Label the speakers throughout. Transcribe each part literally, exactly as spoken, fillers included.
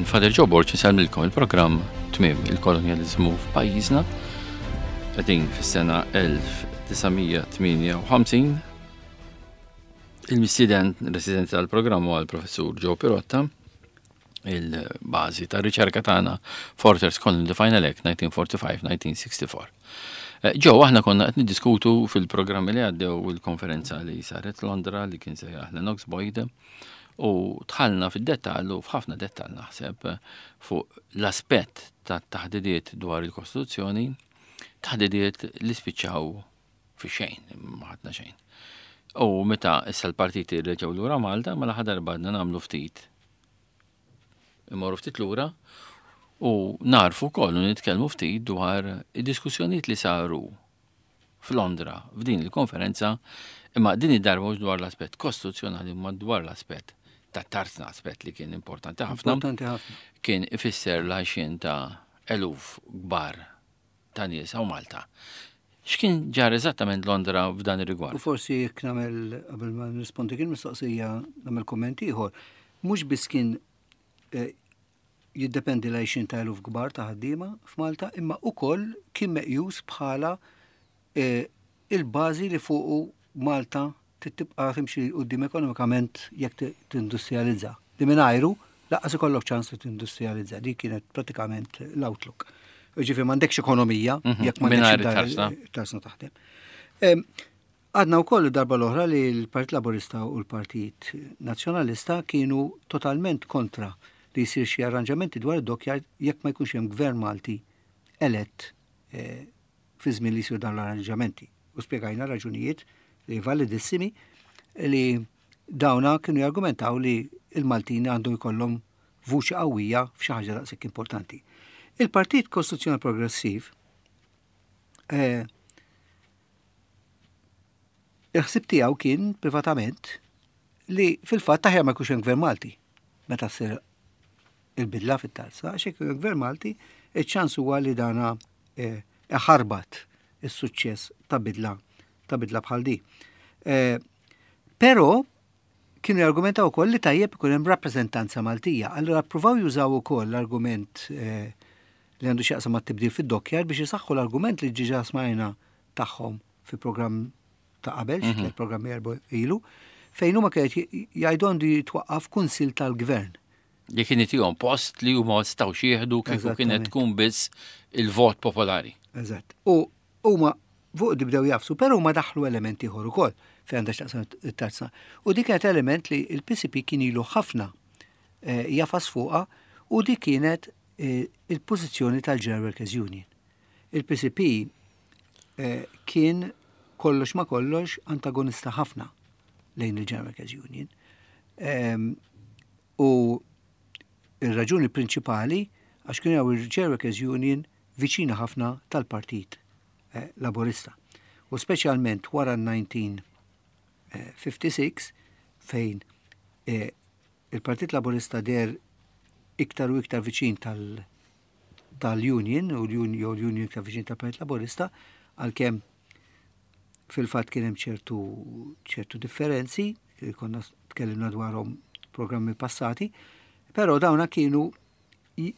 Speaker 1: Jien Father Joe Borg insellmilkom il-programm Tmiem il-Kolonjaliżmu f'pajjiżna. Qegħdin fis-sena elf disa' mija tmienja u ħamsin. Il-mistieden residenti tal-programm huwa l-Professur Joe Pirotta, il-bażi ta' riċerka tagħna Fortress Colony, the Final Act nineteen forty-five nineteen sixty-four. Eh, Joe, aħna konna qed niddiskutu fil-programmi li għaddew il-konferenza li saret Londra li kien sejjaħ Lennox Boyd u dħalna fid-dettall u f'ħafna dettall naħseb fuq l-aspett ta' taħdidiet dwar il-Kostituzzjoni, taħdidiet li spiċċaw fi xejn, ma ħadna xejn. U meta issa l-partiti reġgħu lura Malta, mela ħa darba nagħmlu ftit. Immorru ftit lura u narfu kollu nitkellmu ftit dwar id-diskussjonijiet li saru f'Londra f'din il-konferenza, imma din id-darba mhux dwar l-aspett kostituzzjonali, imma dwar l-aspett ta' tarzna, aspett li kien importanti ħafna.
Speaker 2: Importanti ħafna.
Speaker 1: Kien ifisser l-għajxien ta' eluf kbar ta' nies hawn Malta. X'kien ġar eżattament Londra f'dan ir-rigward?
Speaker 2: U forsi jekk nagħmel, qabel ma nrispondi kien mistoqsija, nagħmel komment ieħor. Mhux biss kien eh, jiddependi l-għajxien ta' eluf kbar ta' ħaddiema f'Malta, imma ukoll kien meqjus bħala eh, il-bażi li fuqu Malta tibqa' timxi quddiem ekonomikament jekk tindustrializza. Li mingħajru lanqas ikollok ċans li tindustrializza. Di kienet pratikament l-outlook. Ġifieri m'għandekx ekonomija
Speaker 1: Mhm.
Speaker 2: jekk
Speaker 1: Mingħajr
Speaker 2: m'għandekx
Speaker 1: it-tarzna.
Speaker 2: tarzna taħdem. Em, Għadna wkoll darba l-oħra li l-Partit Laburista u l-Partit Nazzjonalista kienu totalment kontra li jsir xi arranġamenti dwar id-dockyard jekk ma jkunx hemm gvern Malti elett eh, fi żmien li jsir dawn l-arranġamenti. U spjegajna raġunijiet li validissimi li dawna kienu jargumentaw li il-Maltin għandhom jkollhom vuċi qawwija f'xi ħaġa daqshekk importanti. Il-Partit Kostituzzjonali Progressiv eh, il-ħsib tiegħu kien privatament li fil-fatt aħjar ma jkunx hemm gvern Malti meta ssir il-bidla fit-tarzna, għax jekk hemm gvern Malti, iċ-ċans huwa li dana eh, iħarbat is-suċċess ta' bidla ta' bidla bħal di. Eh, Però kienu jargumentaw ukoll li tajjeb ikun hemm rappreżentanza Maltija. Allura ppruvaw jużaw ukoll l-argument eh, li għandu x'jaqsam mat-tibdil fid-dockyard biex isaħħu l-argument li ġiġa smajna tagħhom fi programm ta' qabel, xi tliet programmi erba' ilu, fejn huma kienet jgħidu għandu jitwaqqaf kunsil tal-gvern.
Speaker 1: Li kien itihom post li huma ma setgħux jieħdu kieku kienet
Speaker 2: Eżattament.
Speaker 1: tkun biss il-vot popolari.
Speaker 2: Eżatt. U huma fuq di bdew jagħfsu, però huma daħlu elementi ieħor ukoll fejn għandha x'taqsam it-tarzna. U dik kienet element li il-P C P kien ilu ħafna eh, jagħfas fuqha u dik kienet eh, il-pożizzjoni tal-General Workers Union. Il-P C P eh, kien kollox ma kollox antagonista ħafna lejn il-General Workers Union. Em, U il-raġuni prinċipali għax kienu jaraw il-General Workers Union viċina ħafna tal-Partit eh, Laborista. U speċjalment wara elf disa' mija ħamsa u ħamsin fejn eh, il-Partit Laborista deher iktar u iktar viċin tal- tal-Union u l-Union jew l-Union iktar viċin tal-Partit Laborista, għalkemm fil-fatt kien hemm ċertu ċertu differenzi li konna tkellimna dwarhom programmi passati, però dawna kienu i-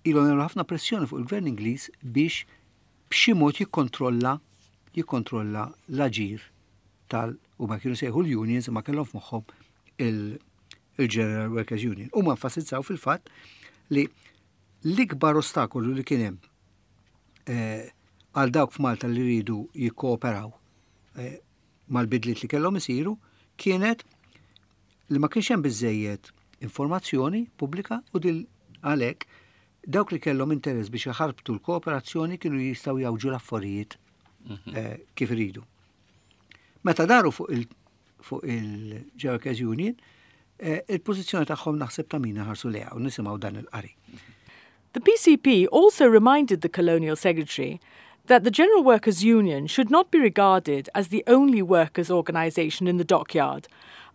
Speaker 2: ilhom jagħmlu ħafna pressjoni fuq il-Gvern Ingliż biex b'xi mod jikkontrolla jikkontrolla l-aġir tal u ma kienu sejħu l-unions, ma kellhom f'moħħhom il- il-General Workers Union. U ma enfasizzaw fil-fatt li l-ikbar ostakolu li kien hemm eh, għal dawk f'Malta li rridu jikkooperaw eh, mal-bidliet li kellhom isiru kienet li ma kienx hemm biżejjed informazzjoni pubblika u dil għalhekk dawk li kellhom interess biex jaħarbtu l-kooperazzjoni kienu jistgħu jgħawġu l-affarijiet eh, kif iridu. Meta daru fuq il fuq il-General Workers Union, eh, il-pożizzjoni tagħhom naħseb ta' min ħarsu lejha u nisimgħu dan il-qari.
Speaker 3: The P C P also reminded the Colonial Secretary that the General Workers' Union should not be regarded as the only workers' organisation in the dockyard,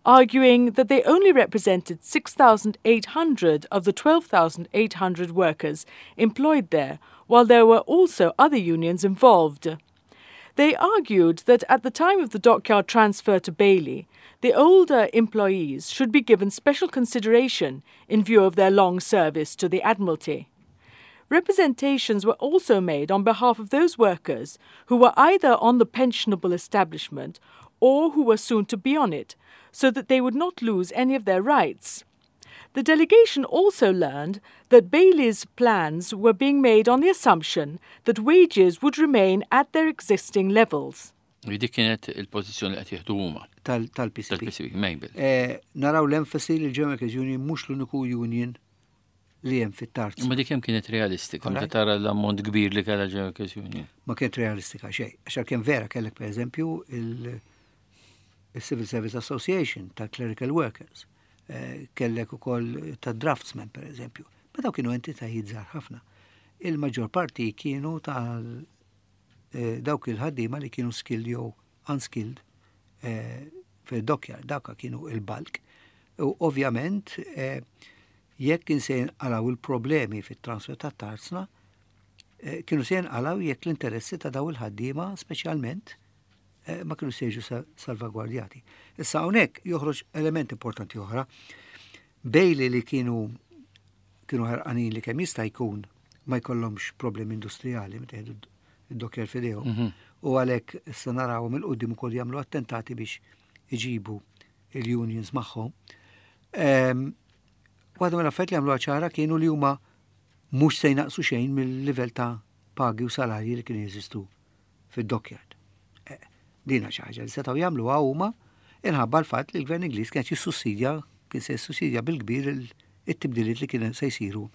Speaker 3: arguing that they only represented six thousand eight hundred of the twelve thousand eight hundred workers employed there, while there were also other unions involved. They argued that at the time of the dockyard transfer to Bailey, the older employees should be given special consideration in view of their long service to the Admiralty. Representations were also made on behalf of those workers who were either on the pensionable establishment or who were soon to be on it, so that they would not lose any of their rights. The delegation also learned that Bailey's plans were being made on the assumption that wages would remain at their existing levels.
Speaker 1: Dik kienet il-pożizzjoni li qed jieħdu huma.
Speaker 2: Tal-P C P.
Speaker 1: Tal-P C P, Mabel.
Speaker 2: Eh, naraw l-enfasi li l-General Workers Union mhux l-uniku union li hemm fit-tarz.
Speaker 1: Ma dik kemm kienet realistika, meta tara l-ammont kbir li kellha General Workers Union?
Speaker 2: Ma kienet realistika xejn. Għax kien vera kellek, pereżempju, il-Civil Service Association tal-Clerical Workers. Eh, kellek ukoll ta' draftsmen, per eżempju. Ma daw kienu entitajiet żgħar ħafna. Il-maġġor parti kienu tal eh, dawk il-ħaddiema li kienu skilled jew unskilled eh, fil-dockyard, dawka kienu il-bulk. U ovvjament, jekk kien se jinqalaw il-problemi fit-transfer ta' tarzna, kienu se jinqalaw jekk l-interessi ta' daw il-ħaddiema speċjalment ma kienu se jiġu salvagwardjati. Issa hawnhekk joħroġ element importanti oħra. Bailey, li kienu kienu ħerqanin li kemm jista' jkun ma jkollhomx problemi industrijali meta jieħdu id-dockyard f'idejhom. Mhm. U għalhekk issa narawhom 'il quddiem ukoll jagħmlu attentati biex iġibu il-unions magħhom. Waħda mill-affarijiet li għamlu ċara kienu li huma mhux se jnaqsu xejn mill-livell ta' pagi u salarji li kienu jeżistu fid-dockyard. Eh, dina xi ħaġa li setgħu jagħmluha huma inħabba l-fatt li l-gvern Ingliż kien jissussidja, kien se jissussidja bil-kbir it-tibdiliet li kien se jsiru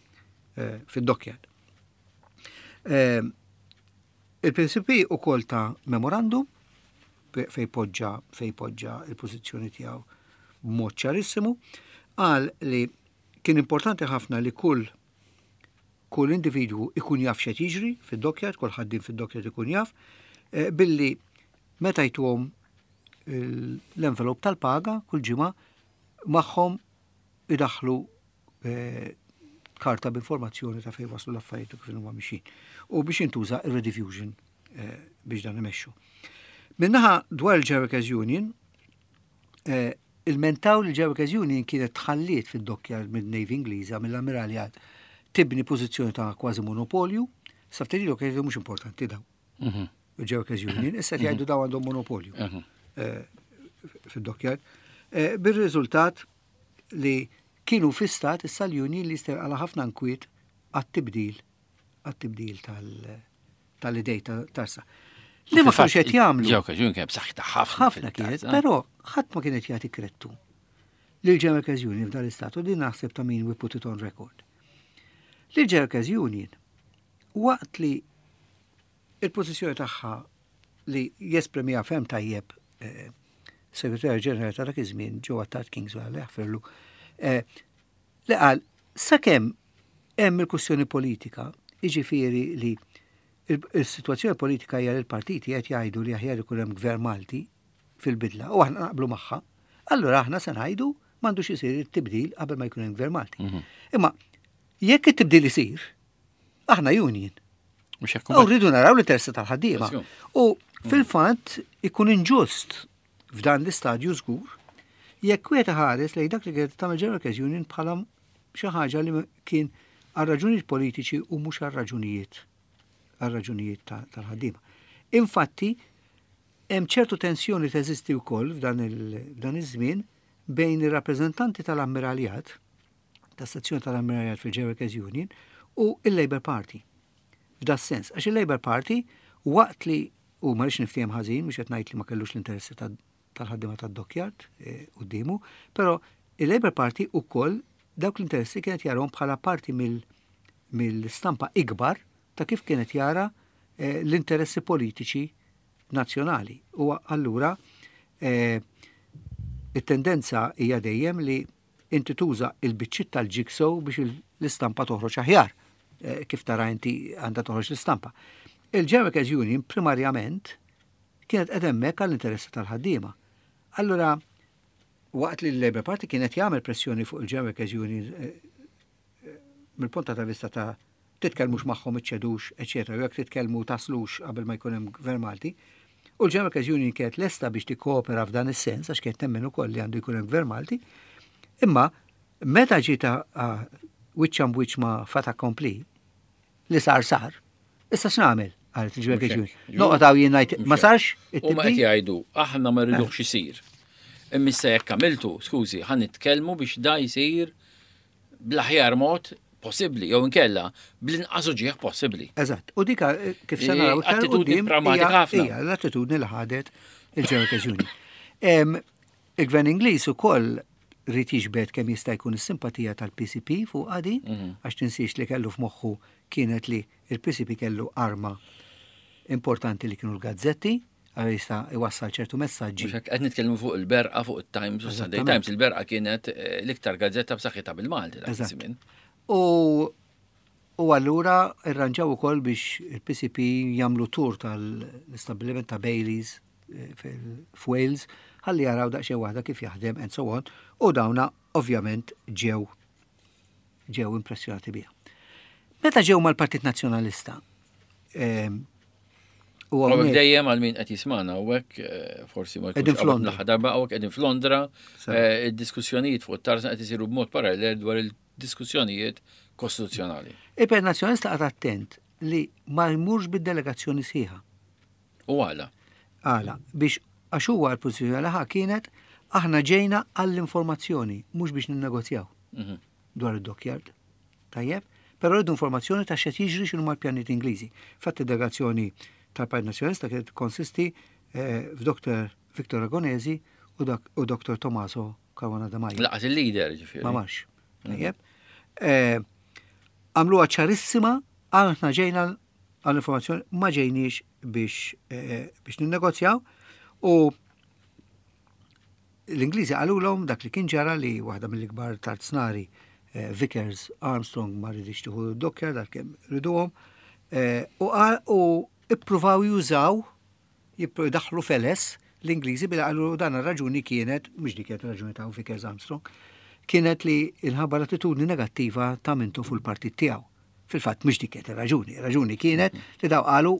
Speaker 2: eh, fid-dockyard. Eh, Il-P C P ukoll ta memorandum fej poġġa fej poġġa il-pożizzjoni tiegħu b'mod ċarissimu, qal li kien importanti ħafna li kull kull individwu ikun jaf x'qed jiġri fid-dockyard, kull ħaddiem fid-dockyard ikun jaf, eh, billi meta jtuhom l-envelop tal-paga kull ġimgħa, magħhom idaħlu eh, karta b'informazzjoni ta' fejn waslu l-affarijiet u kif huma mixin. U biex intuża ir-rediffusion eh, biex dan imexxu. Min-naħa dwar il-General Workers Union, eh, ilmentaw li l-General Workers Union kienet tħalliet fid-dockyard mid-Navy Ingliża, mill-Ammiraljat, tibni pożizzjoni ta' kważi monopolju, sa ftit ilu kienet mhux importanti daw.
Speaker 1: Mhm.
Speaker 2: Il-General Workers Union, issa jgħidu daw għandhom monopolju
Speaker 1: Mhm.
Speaker 2: eh, fid-dockyard. Eh, Bir-riżultat li kienu fi stat issa l-union li għala ħafna nkwiet għat-tibdil għat-tibdil tal-idej tarsa. Li ma kienux qed jagħmlu.
Speaker 1: Ġew kaġun kien b'saħħitha ħafna.
Speaker 2: Ħafna kienet, però ħadd ma kienet jagħti krettu lil General Workers Union f'dan l-istat, u din naħseb ta' min we put it on record. Lil General Workers Union, waqt li il-pożizzjoni tagħha li jesprimiha ferm tajjeb eh, segretarju ġenerali ta' dak iż-żmien, Joe Attard Kingswell, jaħfirlu, eh, li qal sakemm hemm il-kwestjoni politika, jiġifieri li il-sitwazzjoni politika hija li l-partiti qed jgħidu li aħjar ikun hemm gvern Malti fil-bidla u aħna naqblu magħha, allura aħna se ngħidu m'għandux isir it-tibdil qabel ma jkun hemm gvern Malti.
Speaker 1: Mhm.
Speaker 2: Imma jekk it-tibdil isir, aħna union.
Speaker 1: Mhux hekk.
Speaker 2: U rridu naraw l-interessi tal-ħaddiema.
Speaker 1: Tasju.
Speaker 2: U fil-fatt ikun inġust f'dan l-istadju żgur jekk wieħed ħares lejn dak li kienet tagħmel General Workers Union bħala xi ħaġa li kien għal raġunijiet politiċi u mhux għal raġunijiet għal raġunijiet ta- tal-ħaddiema. Infatti, hemm ċertu tensjoni teżisti wkoll f'dan il- f'dan iż-żmien bejn ir-rappreżentanti tal-Ammiraljat, tas-sezzjoni tal-Ammiraljat fil-General Workers Union, u il-Labour Party. F'da sens, għax il-Labour Party, waqt li, u ma rridx niftiehem ħażin, mhux qed ngħid li ma kellux l-interessi ta- tal-ħaddiema tad-dockyard eh, quddiemu, però il-Labour Party ukoll dawk l-interessi kienet jarahom bħala parti mill- mill-stampa ikbar ta' kif kienet jara eh, l-interessi politiċi nazzjonali. U allura eh, it-tendenza hija dejjem li inti tuża il-biċċiet tal-jigsaw biex il- l-istampa toħroġ aħjar, eh, kif tara inti għandha toħroġ l-istampa. Il-General Workers Union primarjament kienet qed hemmhekk għall-interessi tal-ħaddiema. Allura, waqt li l-Labour Party kienet jagħmel pressjoni fuq il-General Workers Union eh, eh, mill-punta ta' vista ta' titkellmux magħhom, iċċedux, eċetera, u jekk titkellmu taslux qabel ma jkun hemm gvern Malti, U l-General Workers Union kienet lesta biex tikkoopera f'dan is-sens, għax kienet temmen ukoll li għandu jkun hemm gvern Malti. Imma meta ġiet wiċċ imb wiċċ ma' fait accompli, li sar sar, issa x'nagħmel? Qalet il-General Workers Union. Noqgħod hawn jien ngħid ma sarx.
Speaker 1: U ma qed jgħidu aħna ma rridux isir. Imma issa jekk għamiltu, skużi, ħa nitkellmu biex da jsir bl-aħjar mod possibbli, jew inkella bl-inqas uġigħ possibbli.
Speaker 2: Eżatt. U dika eh, kif se naraw iktar
Speaker 1: Attitudni
Speaker 2: quddiem
Speaker 1: pragmatika
Speaker 2: hija-
Speaker 1: ħafna.
Speaker 2: Hija l-attitudni li ħadet il-General Workers Union. Em, Il-Gvern Ingliż ukoll ried jiġbed kemm jista' jkun is-simpatija tal-P C P fuq għadi,
Speaker 1: Mhm.
Speaker 2: għax tinsiex li kellu f'moħħu kienet li il-P C P kellu arma importanti li kienu l-gazzetti, għal jista' iwassal ċertu messaġġi.
Speaker 1: Mhux hekk, qed nitkellmu fuq il-Berqa, fuq it-Times u Sunday
Speaker 2: Eżattament.
Speaker 1: Times. Il-Berqa kienet eh, l-iktar gazzetta b'saħħitha bil-Malti dak
Speaker 2: Eżatt.
Speaker 1: iż-żmien.
Speaker 2: U u allura irranġaw ukoll biex il-P C P jagħmlu tour tal-istabbiliment ta' Baileys eh, fil- f'Wales ħalli jaraw daqsxejn waħda kif jaħdem and so on, u dawna ovvjament ġew ġew impressjonati biha. Meta ġew mal-Partit Nazzjonalista, em, u
Speaker 1: U hekk
Speaker 2: hawnhekk-
Speaker 1: dejjem għal min qed jismana u hekk eh, forsi ma
Speaker 2: Qegħdin
Speaker 1: jkunx
Speaker 2: f'Londra.
Speaker 1: l-aħħar darba, hawnhekk qegħdin f'Londra,
Speaker 2: Sew.
Speaker 1: eh, id-diskussjonijiet fuq it-tarzna qed isiru b'mod parallel dwar il-diskussjonijiet kostituzzjonali.
Speaker 2: Il-Partit Nazzjonalista qagħad attent li ma jmurx bid-delegazzjoni sħiħa.
Speaker 1: U għala.
Speaker 2: Għala, biex għax huwa l-pożizzjoni li ħa kienet aħna ġejna għall-informazzjoni, mhux biex ninnegozjaw
Speaker 1: Mhm.
Speaker 2: dwar id-dockyard. Tajjeb? Però rridu informazzjoni ta' x'qed jiġri, x'inhu mal-pjanijiet Ingliżi. Fatt id-delegazzjoni tal-Partit Nazzjonalista kienet konsisti eh, f'Doktor Victor Ragonesi u dak- u Doktor Tommaso Caruana Demajo.
Speaker 1: Lanqas il-leader ġifieri.
Speaker 2: Ma marx. Tajjeb? Eh, Għamluha ċarissima, aħna ġejna għall-informazzjoni, ma ġejniex biex eh, biex ninnegozjaw, u l-Ingliżi qalulhom dak li kien ġara, li waħda mill-ikbar tarznari eh, Vickers Armstrong ma ridix tieħu dockyard dak kemm riduhom eh, u qal- u ippruvaw jużaw jippru daħlu feles l-Ingliżi billi qalu dan ir-raġuni kienet, mhux dik kienet raġuni ta' Vickers Armstrong, kienet li inħabba l-attitudni negattiva ta' Mintoff fuq il-partit tiegħu. Fil-fatt mhux dik kienet ir-raġuni, ir-raġuni kienet li daw qalu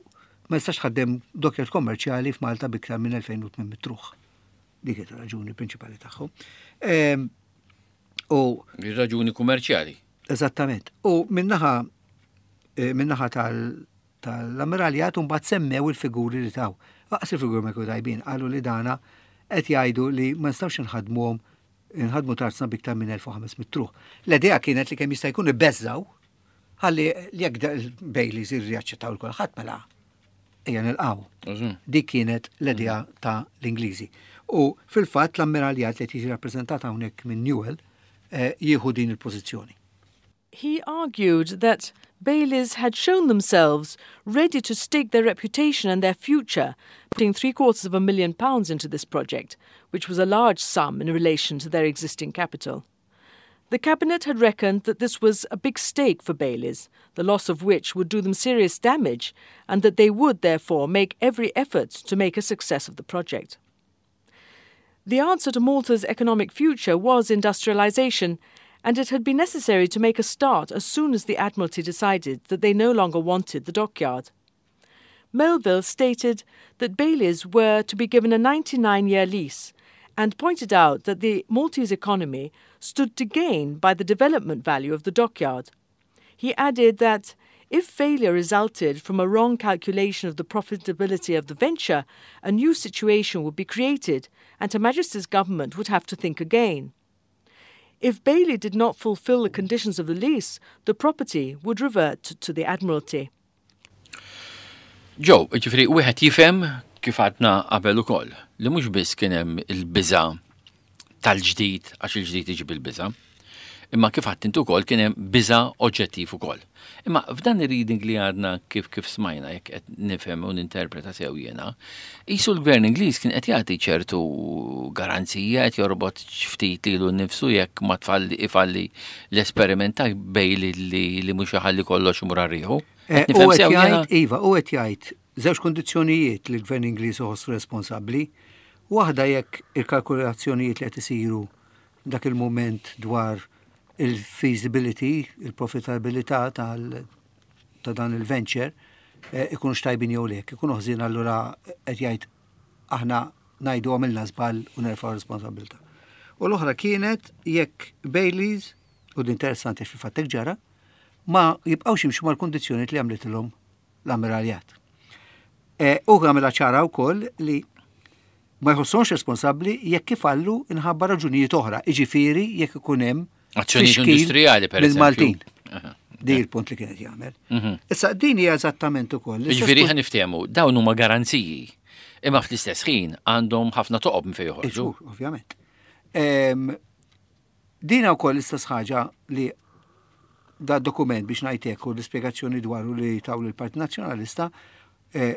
Speaker 2: ma jistax ħaddem dockyard kommerċjali f'Malta biktar minn elfejn u tmien mitt ruħ. Dik kienet ir-raġuni prinċipali tagħhom. Ehm, U
Speaker 1: Ir-raġuni kummerċjali.
Speaker 2: Eżattament. U minnaħa eh, minnaħa tal- tal-ammiraljat mbagħad semmew il-figuri li taw. Lanqas il-figuri ma jkunu tajbin, qalu li dana qed jgħidu li ma nistgħux nħadmuhom nħadmu tarzna biktar minn elf u ħames mitt ruħ. L-idea kienet li kemm jista' jkun ibeżżaw ħalli jekk Baileys irriaċċettaw il kulħadd mela ejja nilqgħu. Dik kienet l-idea ta' l-Ingliżi. U fil-fatt l-ammiraljat li tiġi rappreżentata hawnhekk minn Newell eh, jieħu din il-pożizzjoni.
Speaker 3: He argued that Baileys had shown themselves ready to stake their reputation and their future, putting three quarters of a million pounds into this project, which was a large sum in relation to their existing capital. The Cabinet had reckoned that this was a big stake for Baileys, the loss of which would do them serious damage, and that they would therefore make every effort to make a success of the project. The answer to Malta's economic future was industrialisation, and it had been necessary to make a start as soon as the Admiralty decided that they no longer wanted the dockyard. Melville stated that Baileys were to be given a ninety-nine year lease and pointed out that the Maltese economy stood to gain by the development value of the dockyard. He added that if failure resulted from a wrong calculation of the profitability of the venture, a new situation would be created and Her Majesty's government would have to think again. If Bailey did not fulfill the conditions of the lease, the property would revert to the Admiralty.
Speaker 1: Joe, ġifieri, wieħed jifhem kif għadna qabel ukoll li mhux biss kien hemm il-biża tal-ġdid, għax il-ġdid iġib il-biża, imma kif għedt int ukoll kien hemm biża oġġettiv ukoll. Imma f'dan ir-reading li għadna kif kif smajna, jekk qed nifhem u ninterpreta sew jiena, qisu l-gvern Ingliż kien qed jagħti ċertu garanzija, qed jorbot ftit lilu nnifsu jekk ma tfalli ifalli l-esperiment ta' Bailey li li mhux iħalli kollox imur għar-riħu.
Speaker 2: Eh,
Speaker 1: Qed nifhem
Speaker 2: U qed
Speaker 1: sew jiena?
Speaker 2: jgħid, iva, u qed jgħid żewġ kondizzjonijiet li l-Gvern Ingliż iħossu responsabbli. Waħda jekk il-kalkulazzjonijiet li qed isiru dak il-moment dwar il-feasibility, il-profitabilità tal ta' dan il-venture eh, ikunux tajbin jew le, ikunu ħżin, allura qed jgħid Aħna ngħidu għamilna żball u nerfgħu responsabbiltà. U l-oħra kienet jekk Baileys, u din interessanti fil-fatt ġara, ma jibqgħux jimxu mal-kondizzjoni li għamlitilhom l-ammiraljat. E, u għamilha ċara wkoll li ma jħossonx responsabbli jekk ifallu inħabba raġunijiet oħra, iġifieri jekk ikun hemm
Speaker 1: Azzjonijiet industrijali, per eżempju.
Speaker 2: Maltin. Di il-punt li kienet jagħmel. Mhm. Issa din hija eżattament ukoll.
Speaker 1: Jiġifieri ħa niftehmu, dawn huma garanziji. Imma fl-istess ħin għandhom ħafna toqob minn fejn joħorġu.
Speaker 2: Ovvjament. Dina wkoll l-istess ħaġa li da dokument biex ngħidlek u l-ispjegazzjoni dwaru li taw l-Partit Nazzjonalista, eh,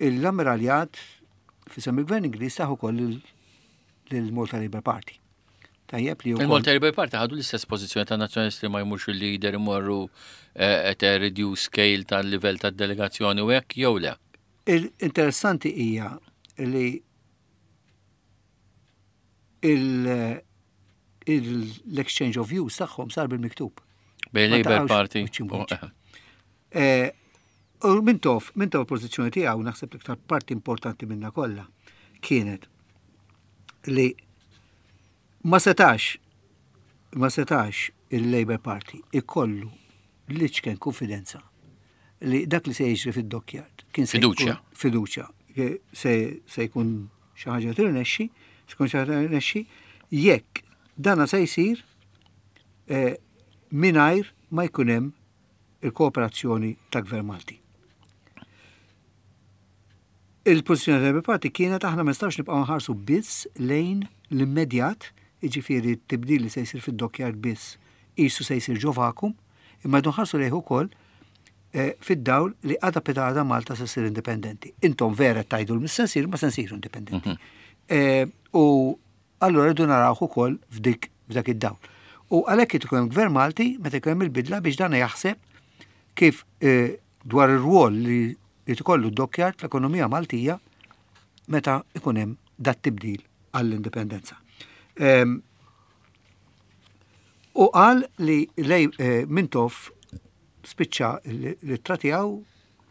Speaker 2: l-ammiraljat f'isem il-Gvern Ingliż taħu ukoll lill-Malta Labour Party.
Speaker 1: Tajjeb li Il-Malta Labour Party ħadu l-istess pożizzjoni ta' nazzjonalisti, ma jmurx il-leader, imorru eh, at a reduced scale tal-livell tad-delegazzjoni u hekk jew le?
Speaker 2: Il-interessanti hija li l-exchange of views tagħhom sar bil-miktub.
Speaker 1: Bejn Labour Party.
Speaker 2: Eh, u Mintoff, Mintoff pożizzjoni tiegħu, naħseb l-iktar parti importanti minna kollha kienet li ma setax ma setax il-Labour Party ikollu l-iċken konfidenza li dak li se jiġri fid-dockyard
Speaker 1: kien fiduċja.
Speaker 2: Fiduċja se se jkun xi ħaġa tirnexxi, se jkun xi ħaġa tirnexxi jekk dana se jsir eh, mingħajr ma jkun hemm il-kooperazzjoni ta' Gvern Malti. Il-pożizzjoni tal-Labour Party kienet: aħna ma nistgħux nibqgħu nħarsu biss lejn l-immedjat, jiġifieri t-tibdil li se jsir fid-dockyard biss qisu se jsir ġo vacuum, imma nħarsu lejh ukoll eh, fid-dawl li għada pitgħada Malta se ssir indipendenti. Intom vera tgħidu l se nsir, ma se nsiru indipendenti. Mhm. Eh, u allura rridu narawh ukoll f'dik f'dak id-dawl. U għalhekk ikun hemm gvern Malti meta jkun hemm il-bidla biex dan jaħseb kif eh, dwar ir-rwol li li tkollu d-dockyard fl-ekonomija Maltija meta ikun hemm dat tibdil għall-indipendenza. Em, U qal li lej eh, Mintoff spiċċa l-ittra tiegħu,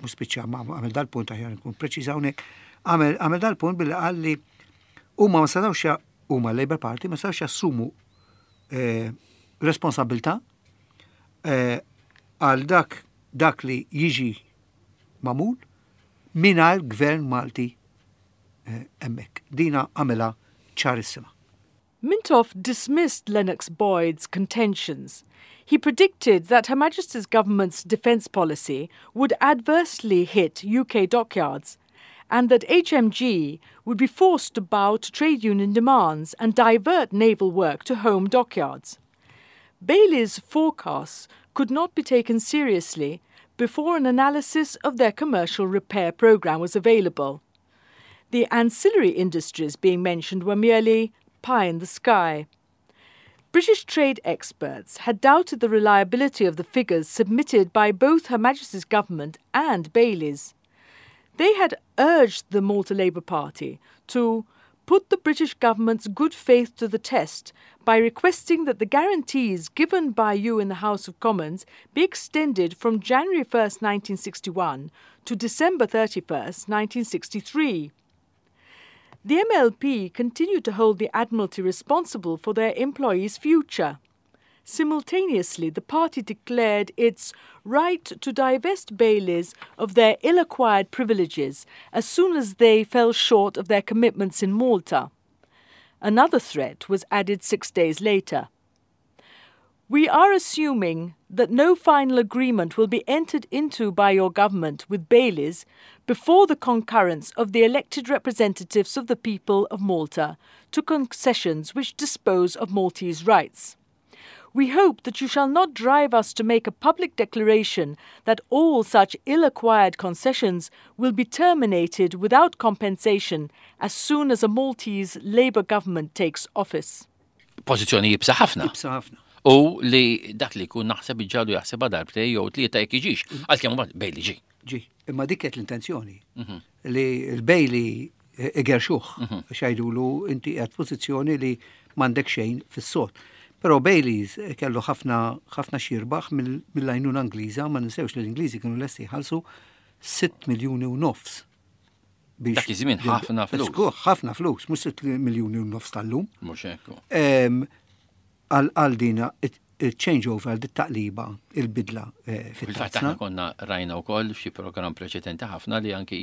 Speaker 2: mhux spiċċa, ma għamel dal-punt, aħjar nkun preċiż hawnhekk, għamel għamel dal-punt billi qal li huma ma setgħux ja- huma l-Labour Party ma setgħux jassumu eh, responsabilità eh, għal dak dak li jiġi magħmul mingħajr gvern Malti eh, hemmhekk. Dina għamilha ċarissima.
Speaker 3: Mintoff dismissed Lennox Boyd's contentions. He predicted that Her Majesty's government's defence policy would adversely hit U K dockyards and that H M G would be forced to bow to trade union demands and divert naval work to home dockyards. Bailey's forecasts could not be taken seriously before an analysis of their commercial repair programme was available. The ancillary industries being mentioned were merely pie in the sky. British trade experts had doubted the reliability of the figures submitted by both Her Majesty's government and Bailey's. They had urged the Malta Labour Party to put the British government's good faith to the test by requesting that the guarantees given by you in the House of Commons be extended from January first, nineteen sixty-one to December thirty-first, nineteen sixty-three. The M L P continued to hold the Admiralty responsible for their employees' future. Simultaneously, the party declared its right to divest Baileys of their ill acquired privileges as soon as they fell short of their commitments in Malta. Another threat was added six days later. "We are assuming that no final agreement will be entered into by your government with Baileys before the concurrence of the elected representatives of the people of Malta to concessions which dispose of Maltese rights. We hope that you shall not drive us to make a public declaration that all such ill acquired concessions will be terminated without compensation as soon as a Maltese Labour government takes office."
Speaker 1: Pożizzjoni iebsa ħafna.
Speaker 2: Iebsa ħafna.
Speaker 1: U li dak li jkun naħseb iġġagħlu jaħseb darbtejn jew tlieta jekk jiġix. Għalkemm mbagħad Bailey ġi.
Speaker 2: Ġi, imma dik kienet l-intenzjoni. Li l-Bailey igerxuh, għax jgħidulu inti qiegħed pożizzjoni li m'għandek xejn fis-sod. Però Baileys kellu ħafna ħafna x'jirbaħ mill-għajnuna Ingliża, ma ninsewx li l-Ingliżi kienu lesti jħallsu sitt miljuni u nofs Biex
Speaker 1: Dak iż-żmien ħafna flus.
Speaker 2: Żgur, ħafna flus, mhux sitt miljuni u nofs tal-lum.
Speaker 1: Mhux hekk.
Speaker 2: Em, Għal għal dina il-changeover, għal dit taqliba, il-bidla eh,
Speaker 1: Fil-fatt
Speaker 2: fit-tarzna.
Speaker 1: aħna konna rajna wkoll f'xi programm preċedenti ħafna li anki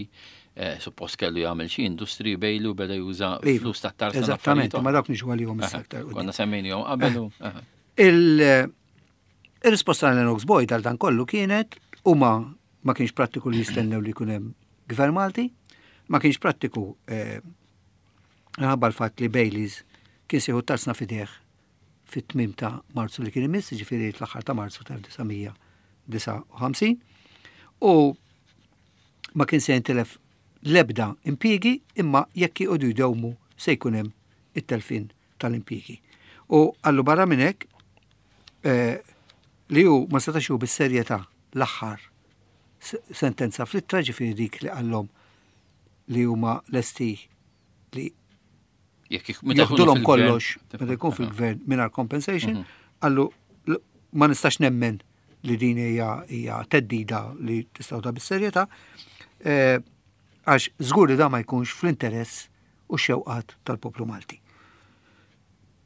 Speaker 1: eh, suppost kellu jagħmel xi industri Bailey u beda juża
Speaker 2: Iva,
Speaker 1: flus tat-tarzna.
Speaker 2: Eżattament,
Speaker 1: affarijiet
Speaker 2: ma dawk niġu għalihom issa
Speaker 1: oħra.
Speaker 2: aktar quddiem.
Speaker 1: Konna semmejnihom qabel u. aha.
Speaker 2: Il- Il-risposta għal Lennox Boyd għal dan kollu kienet u ma ma kienx prattiku li jistennew li jkun hemm gvern Malti, ma kienx prattiku eh, minħabba l-fatt li Baileys kien se jieħu tarzna f'idejh fit-tmiem ta' Marzu li kien imiss, ġifieri l-aħħar ta' Marzu tal-disgħa mija disgħa u ħamsin, u ma kien se jintilef lebda impjiegi, imma jekk jqogħdu jdewmu se jkun hemm it-telfin tal-impjiegi. U għallu barra minn hekk eh, li hu ma setax hu bis-serjetà l-aħħar s- sentenza fl-ittra, ġifieri dik li qallhom li huma lesti li
Speaker 1: Jekk ik- meta jkunu
Speaker 2: joħdulhom
Speaker 1: fil-gvern-
Speaker 2: kollox meta jkun fil-gvern mingħajr compensation, qallu l- ma nistax nemmen li din hija hija theddida li tistgħu ta' bis-serjetà, eh, għax żgur li da ma jkunx fl-interess u xewqat tal-poplu Malti.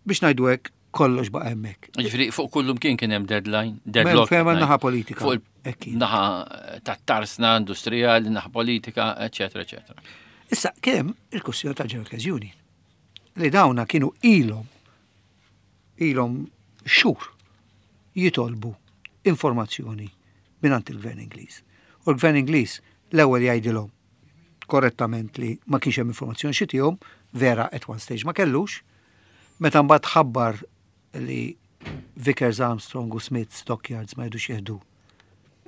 Speaker 2: Biex ngħidu hekk, kollox baqa' hemmhekk.
Speaker 1: Ġifieri fuq kullum kien kien hemm deadline, deadlock.
Speaker 2: Fejn hemm naħa politika.
Speaker 1: Fuq
Speaker 2: Hekk kien.
Speaker 1: il-naħa tat-tarsna industrijali, naħa politika, eċetera, eċetera.
Speaker 2: Issa, kemm il-kwestjoni tal-General Workers Union li dawna kienu ilhom ilhom xhur jitolbu informazzjoni mingħand il-Gvern Ingliż. U l-Gvern Ingliż l-ewwel jgħidilhom korrettament li ma kienx hemm informazzjoni xi tihom, vera, at one stage ma kellux, meta mbagħad ħabbar li Vickers Armstrong u Smiths Dockyards ma jridux jieħdu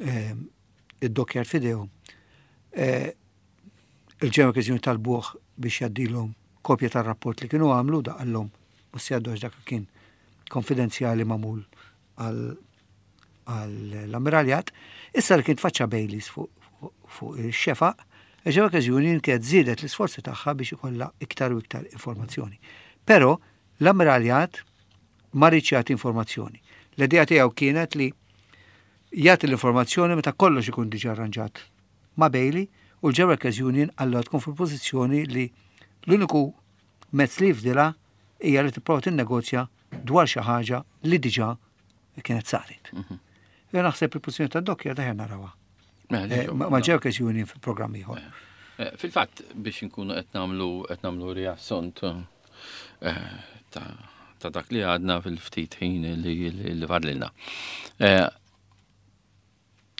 Speaker 2: ehm, id-dockyard f'idejhom. Eh, il-General Workers Union talbuh biex jgħaddilhom kopja tar-rapport li kienu għamlu, da qallhom u s dak kien konfidenzjali magħmul għal għall-ammiraljat. Issa li kien tfaċċa Baileys fuq fuq il-xefaq, il-General Workers Union kienet żiedet l-isforzi tagħha biex ikollha iktar u iktar informazzjoni. Però l-ammiraljat ma riedx jagħti informazzjoni. L-idea tiegħu kienet li jagħti l-informazzjoni meta kollox ikun diġà arranġat ma' Bailey, u l-General Workers Union allura tkun fil-pożizzjoni li l-uniku mezz li jifdilha hija li tipprova tinnegozja dwar xi ħaġa li diġà kienet saret. Jien naħseb il-pożizzjoni tad-dockyard aħjar narawha.
Speaker 1: Mela,
Speaker 2: Eh, Ma ma' General Workers Union fil-programm ieħor.
Speaker 1: Eh, Fil-fatt, biex nkunu qed nagħmlu qed nagħmlu riassunt eh, ta' ta' dak li għadna fil-ftit ħin li li li fadlilna. Eh,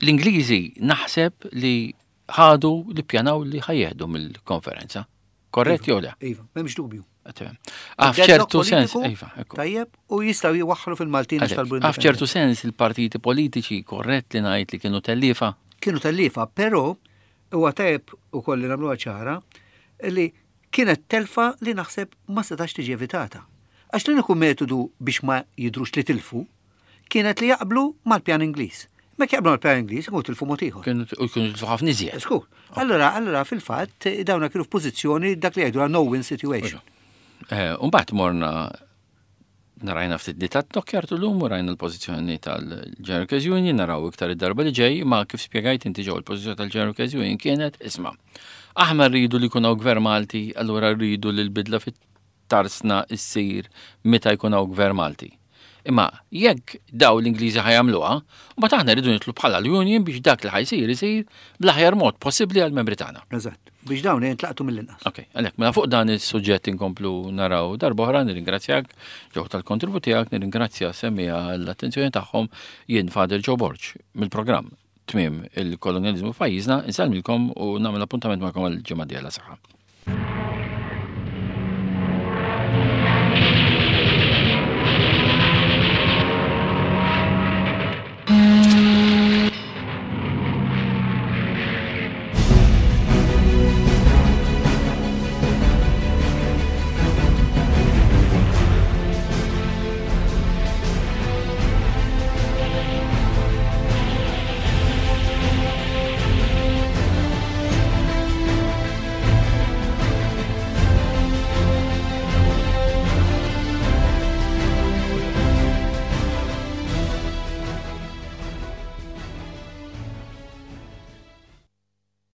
Speaker 1: L-Ingliżi naħseb li ħadu li pjanaw li ħa jieħdu mill-konferenza. Korrett jew le?
Speaker 2: Iva, m'hemmx dubju.
Speaker 1: Ah, f'ċertu sens, iva, ekku.
Speaker 2: Tajjeb, u jistgħu jwaħħlu fil-Maltin għax talbu
Speaker 1: Ah, f'ċertu sens il-partiti politiċi, korrett li ngħid li kienu tellifa?
Speaker 2: Kienu tellifa, però huwa tajjeb ukoll li nagħmluha ċara li kienet telfa li naħseb ma setax tiġi evitata. Għax l-uniku metodu biex ma jidrux li tilfu kienet li jaqblu mal-pjan Ingliż. Ma jaqblu mal-pjan Ingliż, ikunu tilfu mod ieħor.
Speaker 1: Kienu u kienu tilfu ħafna iżjed.
Speaker 2: Żgur. Allora, allora fil-fatt dawna kienu f'pożizzjoni dak li jgħidu no-win situation.
Speaker 1: Eh, Umbagħad morna narajna ftit li tat-dockyard l-lum u rajna l-pożizzjoni tal-General Workers Union, naraw iktar id-darba li ġej, ma kif spjegajt inti ġew, il-pożizzjoni tal-General Workers Union kienet, isma', aħna rridu li jkun hawn gvern Malti, allura rridu li l-bidla fit-tarsna issir meta jkun hawn gvern Malti. Imma jekk daw l-Ingliżi ħa jagħmluha, mbagħad aħna rridu nidħlu bħala l-Union biex dak li ħa jsir isir bl-aħjar mod possibbli għall-membri tagħna.
Speaker 2: Eżatt. Biex dawn jintlaqtu mill-inqas.
Speaker 1: Ok, għalhekk, mela fuq dan is-suġġett inkomplu naraw darba oħra. Nirringrazzjak, Joe, tal-kontribut tiegħek, nirringrazzja semmiegħa l-attenzjoni tagħhom. Jien Father Joe Borg mill-programm Tmiem il-Kolonjaliżmu f'Pajjiżna, insellmilkom u nagħmel appuntament magħkom għal ġimgħa dieħla. Saħħa.